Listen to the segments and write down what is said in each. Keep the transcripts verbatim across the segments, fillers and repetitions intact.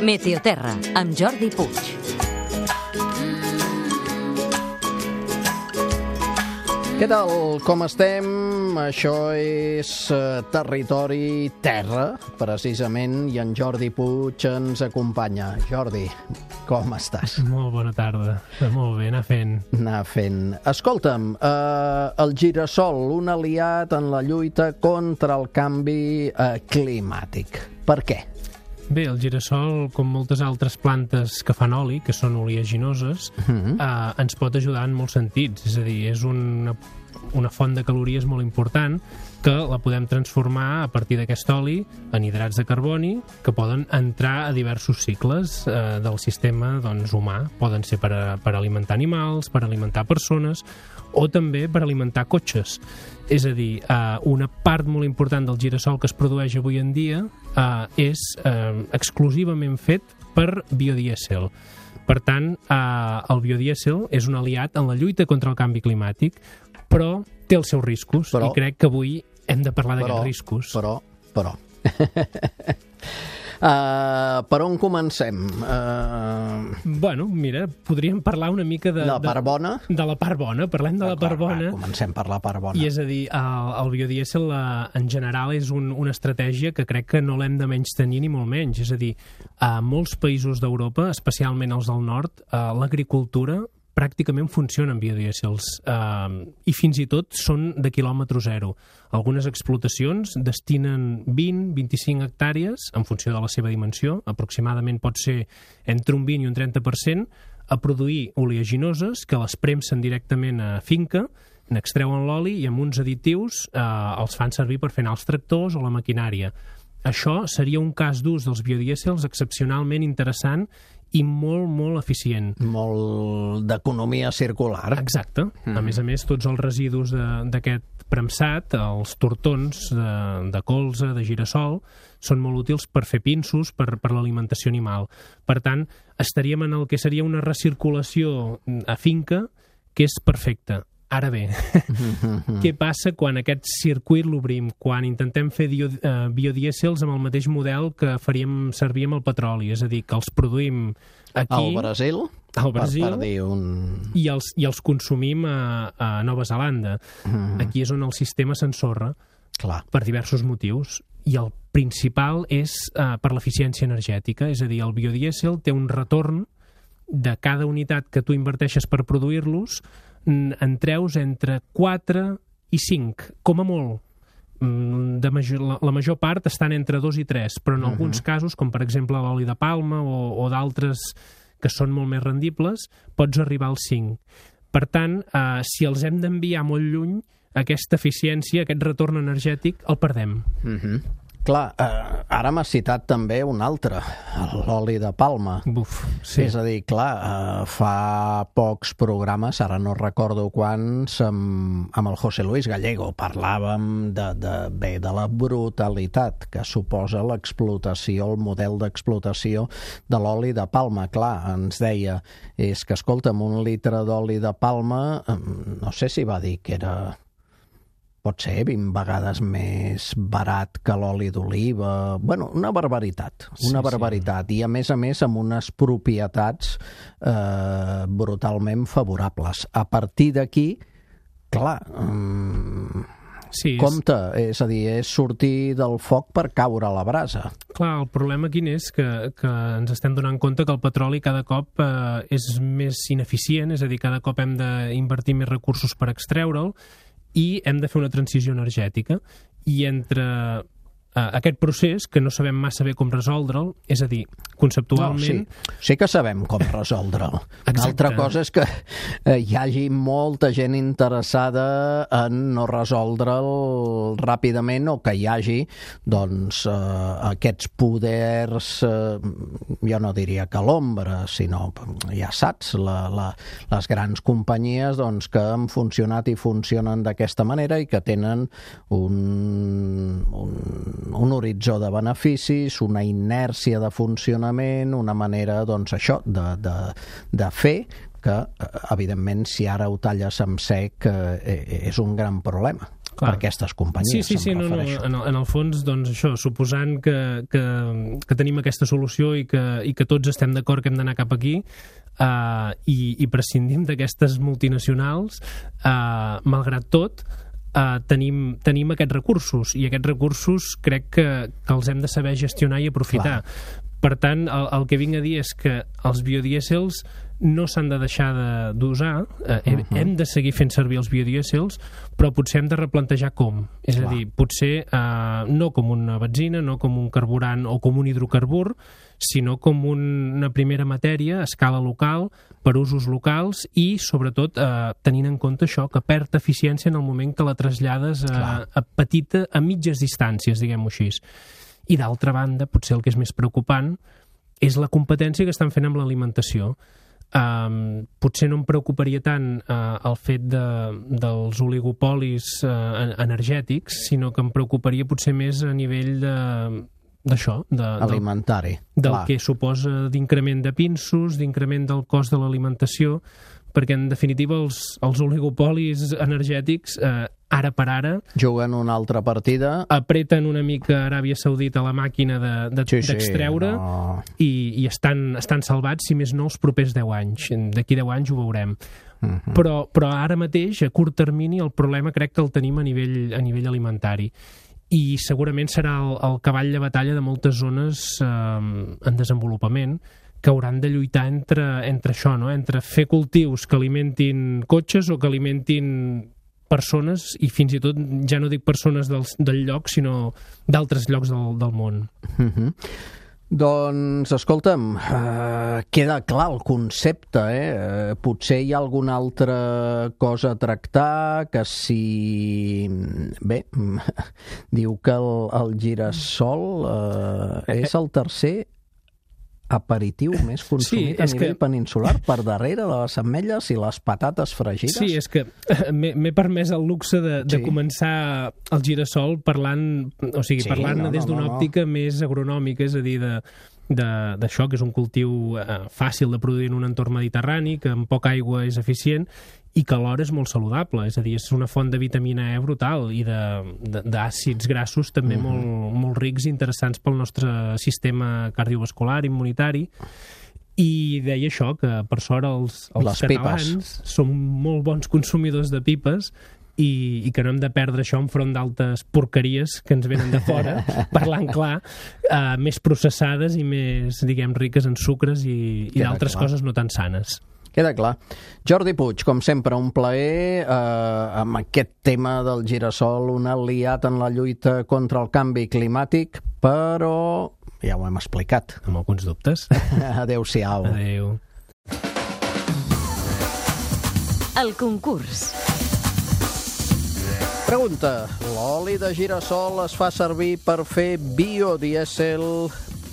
Meteoterra, amb Jordi Puig. Què tal? Com estem? Això és uh, Territori Terra, precisament, i en Jordi Puig ens acompanya. Jordi, com estàs? Molt bona tarda. Molt bé, anar fent. Anar fent. Escolta'm, uh, el girassol, un aliat en la lluita contra el canvi uh, climàtic. Per què? Bé, el girassol, com moltes altres plantes que fan oli, que són oleaginoses, uh-huh. eh, ens pot ajudar en molts sentits. És a dir, és una, una font de calories molt important que la podem transformar a partir d'aquest oli en hidrats de carboni que poden entrar a diversos cicles eh, del sistema doncs, humà. Poden ser per, a, per alimentar animals, per alimentar persones o també per alimentar cotxes. És a dir, eh, una part molt important del girassol que es produeix avui en dia eh, és eh, exclusivament fet per biodièsel. Per tant, eh, el biodièsel és un aliat en la lluita contra el canvi climàtic, però té els seus riscos, però, i crec que avui hem de parlar d'aquests riscos. Però, però... Uh, per on comencem? Uh... Bueno, mira, podríem parlar una mica de... La part bona? De, de la part bona, parlem de ah, la part clar, bona. Va, comencem per la part bona. I és a dir, el, el biodièsel en general és un, una estratègia que crec que no l'hem de menys tenir ni molt menys. És a dir, a molts països d'Europa, especialment els del nord, uh, l'agricultura pràcticament funcionen biodièsels eh, i fins i tot són de quilòmetre zero. Algunes explotacions destinen vint a vint-i-cinc hectàrees, en funció de la seva dimensió, aproximadament pot ser entre un vint i un trenta per cent, a produir oleaginoses que les premsen directament a finca, n'extreuen l'oli i amb uns additius eh, els fan servir per fer anar els tractors o la maquinària. Això seria un cas d'ús dels biodièsels excepcionalment interessant i molt, molt eficient. Molt d'economia circular. Exacte. Mm. A més a més, tots els residus d'aquest premsat, els tortons de, de colza, de girassol, són molt útils per fer pinsos, per, per l'alimentació animal. Per tant, estaríem en el que seria una recirculació a finca que és perfecta. Ara bé, mm-hmm. què passa quan aquest circuit l'obrim? Quan intentem fer dio, uh, biodièsels amb el mateix model que faríem servir amb el petroli, és a dir, que els produïm aquí... Al Brasil? Al Brasil, per, per dir un... i, els, i els consumim a, a Nova Zelanda. Mm-hmm. Aquí és on el sistema s'ensorra. Clar. Per diversos motius. I el principal és uh, per l'eficiència energètica, és a dir, el biodièsel té un retorn de cada unitat que tu inverteixes per produir-los, en treus entre quatre i cinc, com a molt. De major, la, la major part estan entre dos i tres, però en uh-huh. alguns casos, com per exemple l'oli de palma o, o d'altres que són molt més rendibles, pots arribar als cinc. Per tant, eh, si els hem d'enviar molt lluny, aquesta eficiència, aquest retorn energètic, el perdem. Uh-huh. Clar, eh, ara m'has citat també un altre, l'oli de palma. Buf, sí. És a dir, clar, eh, fa pocs programes, ara no recordo quants, amb, amb el José Luis Gallego parlàvem de, de, bé, de la brutalitat que suposa l'explotació, el model d'explotació de l'oli de palma. Clar, ens deia, és que, escolta'm, un litre d'oli de palma, no sé si va dir que era... pot ser vint vegades més barat que l'oli d'oliva. Bueno, una barbaritat, una sí, barbaritat. Sí. I a més a més amb unes propietats eh, brutalment favorables. A partir d'aquí, clar, um, sí, compte, és... és a dir, és sortir del foc per caure a la brasa. Clar, el problema quin és? Que, que ens estem donant compte que el petroli cada cop eh, és més ineficient, és a dir, cada cop hem d'invertir més recursos per extreure'l, i hem de fer una transició energètica. I entre uh, aquest procés, que no sabem massa bé com resoldre'l, és a dir, conceptualment... No, sí. sí que sabem com resoldre'l. Una altra cosa és que eh, hi hagi molta gent interessada en no resoldre'l ràpidament, o que hi hagi doncs, eh, aquests poders, eh, jo no diria que l'ombra, sinó, ja saps, la, la, les grans companyies doncs, que han funcionat i funcionen d'aquesta manera i que tenen un, un, un horitzó de beneficis, una inèrcia de funcionament, una manera, doncs, això, de, de, de fer que, evidentment, si ara ho talles amb sec, eh, és un gran problema. Clar. Per aquestes companyies, sí, sí, sí, no, no, en, el, en el fons, doncs això, suposant que, que, que tenim aquesta solució i que, i que tots estem d'acord que hem d'anar cap aquí, uh, i, i prescindim d'aquestes multinacionals, uh, malgrat tot, uh, tenim, tenim aquests recursos, i aquests recursos crec que, que els hem de saber gestionar i aprofitar. Clar. Per tant, el, el que vinc a dir és que els biodièsels no s'han de deixar d'usar, eh, uh -huh. hem de seguir fent servir els biodièsels, però potser hem de replantejar com. És Clar. a dir, potser eh, no com una benzina, no com un carburant o com un hidrocarbur, sinó com un, una primera matèria a escala local, per usos locals i, sobretot, eh, tenint en compte això, que perd eficiència en el moment que la trasllades a, a petita, a mitges distàncies, diguem-ho així. I d'altra banda, potser el que és més preocupant és la competència que estan fent amb l'alimentació. Um, potser no em preocuparia tant uh, el fet de, dels oligopolis uh, energètics, sinó que em preocuparia potser més a nivell de d'això, de, alimentari, del, del clar. que suposa d'increment de pinsos, d'increment del cost de l'alimentació, perquè en definitiva els, els oligopolis energètics eh, ara per ara juguen una altra partida, apreten una mica Aràbia Saudita la màquina d'extreure de, de, sí, sí, no. i, i estan, estan salvats, si més no, els propers deu anys. D'aquí deu anys ho veurem. Uh-huh. però, però ara mateix, a curt termini, el problema crec que el tenim a nivell, a nivell alimentari. I segurament serà el, el cavall de batalla de moltes zones eh, en desenvolupament, que hauran de lluitar entre, entre això, no? Entre fer cultius que alimentin cotxes o que alimentin persones, i fins i tot ja no dic persones del, del lloc, sinó d'altres llocs del, del món. Uh-huh. Doncs, escolta'm, uh, queda clar el concepte, eh? Uh, potser hi ha alguna altra cosa a tractar, que si... Bé, diu que el, el girassol uh, és el tercer aperitiu més consumit sí, a nivell que... peninsular, per darrere de les ametlles i les patates fregides. Sí, és que m'he permès el luxe de, de sí. començar el girassol parlant, o sigui, sí, parlant no, des d'una no, no, òptica no. més agronòmica, és a dir, de d'això, que és un cultiu eh, fàcil de produir en un entorn mediterrani, que amb poca aigua és eficient i que alhora és molt saludable, és a dir, és una font de vitamina E brutal i d'àcids grassos també uh-huh. molt, molt rics i interessants pel nostre sistema cardiovascular, immunitari. I deia això, que per sort els, els catalans pipes. Som molt bons consumidors de pipes i, i que no hem de perdre això enfront d'altres porqueries que ens venen de fora, parlant clar, uh, més processades i més, diguem, riques en sucres i, i d'altres coses no tan sanes. Queda clar. Jordi Puig, com sempre, un plaer eh, amb aquest tema del girassol, un aliat en la lluita contra el canvi climàtic, però ja ho hem explicat. Amb alguns dubtes. Adéu-siau. Adéu. El concurs. Pregunta: l'oli de girassol es fa servir per fer biodièsel?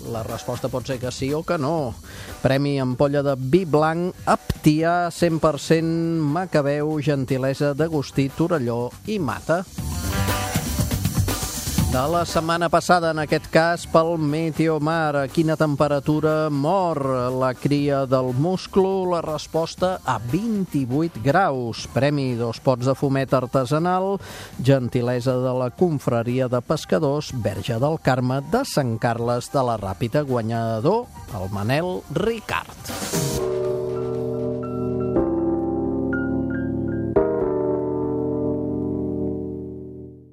La resposta pot ser que sí o que no. Premi ampolla de vi blanc Aptià cent per cent Macabeu, gentilesa d'Agustí Torelló i Mata. De la setmana passada, en aquest cas, pel Meteomar. A quina temperatura mor la cria del musclo? La resposta: a vint-i-vuit graus. Premi dos pots de fumet artesanal, gentilesa de la confraria de pescadors Verge del Carme de Sant Carles de la Ràpita, guanyador el Manel Ricard.